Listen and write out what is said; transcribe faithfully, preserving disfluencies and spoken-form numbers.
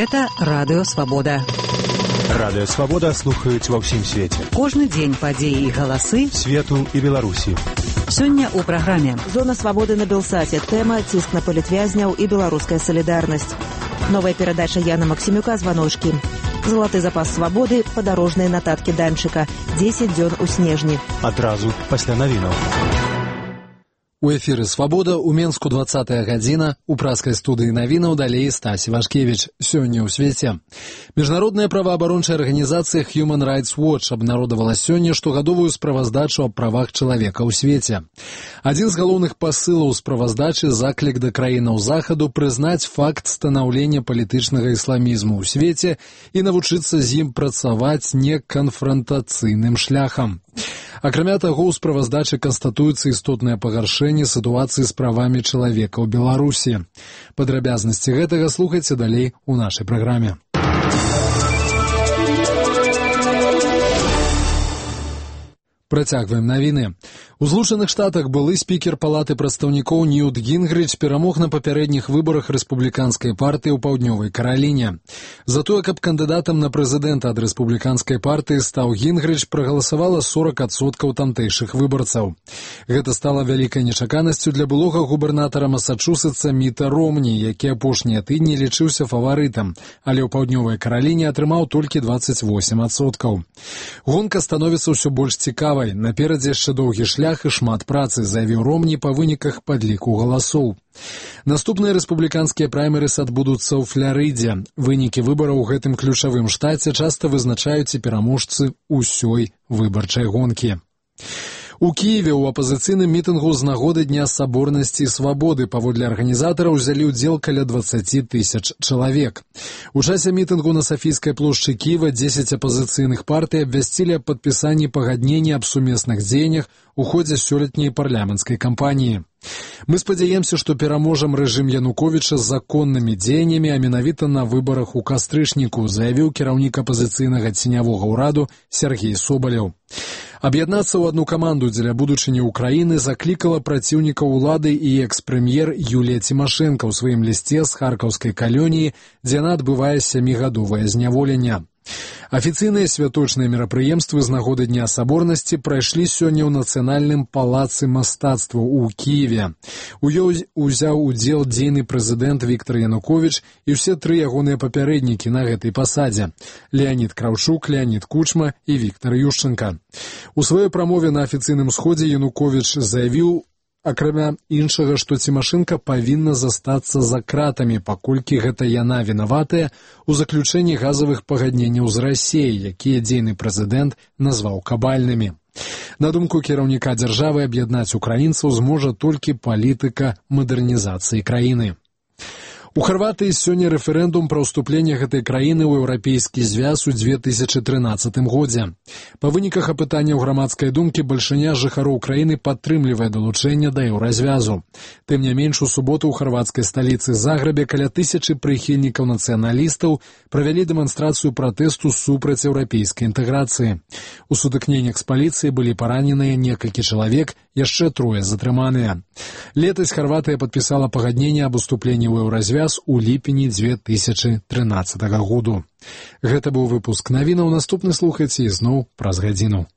Гэта Радыё Свабода. Радыё Свабода слухаюць ва ўсім свеце. Кожны дзень падзеі і галасы свету і Беларусі. Сёння ў праграме «Зона свабоды» на Белсаце. Тэма «Ціск на палітвязняў і беларуская салідарнасць». Новая перадача Яна Максімюка «Званочкі». Залаты запас свабоды, падарожныя нататкі Данчыка. дзесяць дзён у снежні. Адразу пасля навінаў. У эфіры «Свабода» у Менску двадцатая гадзіна, у праскай студыі навінаў далей Стасі Вашкевіч. Сёння ў свеце. Міжнародная праваабарончая арганізацыя Human Rights Watch абнародавала сёння штогадовую справаздачу аб правах чалавека ў свеце. Адзін з галоўных пасылаў справаздачы — заклік да краінаў захаду прызнаць факт станаўлення палітычнага ісламізму ў свеце і навучыцца з ім працаваць неканфрантацыйным шляхам. Акрамя таго, у справаздачы канстатуецца істотнае пагаршэнне сітуацыі з правамі чалавека ў Беларусі. Падрабязнасці гэтага слухайце далей у нашай праграме. Працягваем навіны. У Злучаных Штатах былы спікер палаты прадстаўнікоў Ньют Гінгрыч перамог на папярэдніх выбарах рэспубліканскай партыі ў Паўднёвай Караліне. За тое, каб кандыдатам на прэзідэнта ад рэспубліканскай партыі стаў Гінгрыч, прагаласавала сорок адсоткаў тамтэйшых выбарцаў. Гэта стала вялікай нечаканасцю для былога губернатара Масачусетса Міта Ромні, які апошнія тыдні лічыўся фаварытам, але ў Паўднёвай Караліне атрымаў толькі дваццаць восем адсоткаў. Гонка становіцца ўсё больш цікавай. Наперадзе яшчэ доўгі шлях і шмат працы, заявіў Ромні па выніках падліку галасоў. Наступныя рэспубліканскія праймерыс адбудуцца ў Фларыдзе. Вынікі выбараў у гэтым ключавым штаце часта вызначаюць і пераможцы ўсёй выбарчай гонкі. У Кіеве ў апазіцыйным мітынгу з нагоды Дня саборнасці і свабоды паводле арганізатараў узялі ўдзел каля дваццаць тысяч чалавек. У часе мітынгу на Сафійскай плошчы Кіева дзесяць апазіцыйных партый абвясцілі аб падпісанні пагаднення аб сумесных дзеяннях у ходзе сёлетняй парламенцкай кампаніі. Мы спадзяемся, што пераможам рэжым Януковіча з законнымі дзеяннямі, а менавіта на выбарах у кастрычніку, заявіў кіраўнік апазіцыйнага ценявога ўраду Сергей Соболеў. Аб'яднацца ў адну каманду дзеля будучыні ўкраіны заклікала праціўніка ўлады і экс-прэм'ер Юлія Цімашэнка ў сваім лісце з харкаўскай калоніі, дзе яна адбывае сямігадовае зняволенне. Афіцыйныя святочныя мерапрыемствы з нагоды Дня саборнасці прайшлі сёння ў Нацыянальным палацы мастацтваў у Кіеве. У ёй узяў удзел дзейны прэзідэнт Віктар Януковіч і ўсе тры ягоныя папярэднікі на гэтай пасадзе — Леанід Краўчук, Леанід Кучма і Віктар Юшчэнка. У сваёй прамове на афіцыйным сходзе Януковіч заявіў, акрамя іншага, што Цімашэнка павінна застацца за кратамі, паколькі гэта яна вінаватая ў заключэнні газавых пагадненняў з Расіяй, якія дзейны прэзідэнт назваў кабальнымі. На думку кіраўніка дзяржавы, аб'яднаць украінцаў зможа толькі палітыка мадэрнізацыі краіны. У Харватыі сёння рэферэндум пра ўступленне гэтай краіны ў еўрапейскі звяз у дзве тысячы трынаццатым годзе. Па выніках апытання ў грамадскай думкі бальшыня жыхароў краіны падтрымлівае далучэнне да еўразвязу. Тым не менш, у суботу ў харвацкай сталіцы Загребе каля тысячы прыхільнікаў нацыяналістаў правялі дэманстрацыю пратэсту супраць еўрапейскай інтэграцыі. У сутыкненнях з паліцыяй былі параненыя некалькі чалавек, яшчэ трое затрыманыя. Летась Харватыя падпісала пагадненне аб уступленні ў еўразвяз у ліпені дзве тысячы трынаццатага году. Гэта быў выпуск навінаў. Наступны слухайце ізноў праз гадзіну.